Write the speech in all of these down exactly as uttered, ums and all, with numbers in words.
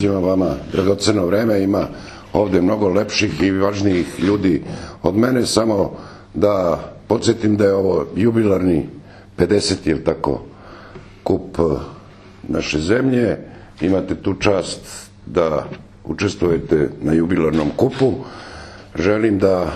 Ima vama dragoceno vreme, ima ovde mnogo lepših i važnijih ljudi od mene, samo da podsjetim da je ovo jubilarni pedeseti, je li tako, kup naše zemlje. Imate tu čast da učestvujete na jubilarnom kupu. Želim da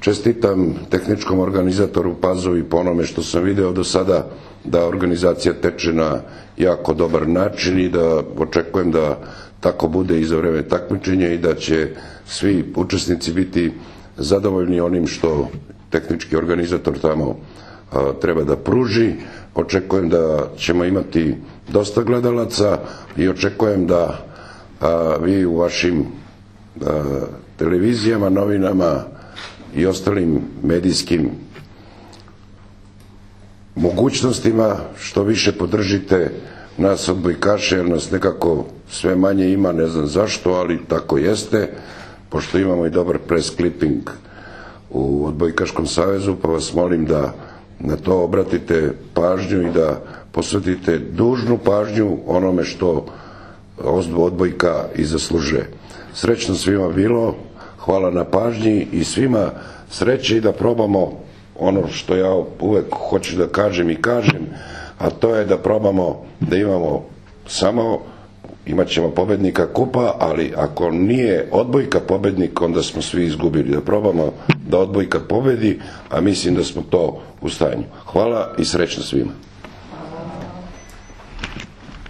čestitam tehničkom organizatoru Pazovi po onome što sam video do sada, da organizacija teče na jako dobar način i da očekujem da tako bude i za vreme takmičenja i da će svi učesnici biti zadovoljni onim što tehnički organizator tamo a, treba da pruži. Očekujem da ćemo imati dosta gledalaca i očekujem da a, vi u vašim a, televizijama, novinama i ostalim medijskim mogućnostima što više podržite nas odbojkaše, jer nas nekako sve manje ima, ne znam zašto, ali tako jeste, pošto imamo i dobar press clipping u Odbojkaškom savezu, pa vas molim da na to obratite pažnju i da posvetite dužnu pažnju onome što odbojka i zaslužuje. Srećno svima bilo, hvala na pažnji i svima sreće i da probamo ono što ja uvek hoću da kažem i kažem, a to je da probamo da imamo samo, imat ćemo pobednika kupa, ali ako nije odbojka pobednik, onda smo svi izgubili. Da probamo da odbojka pobedi, a mislim da smo to u stanju. Hvala i srećno svima.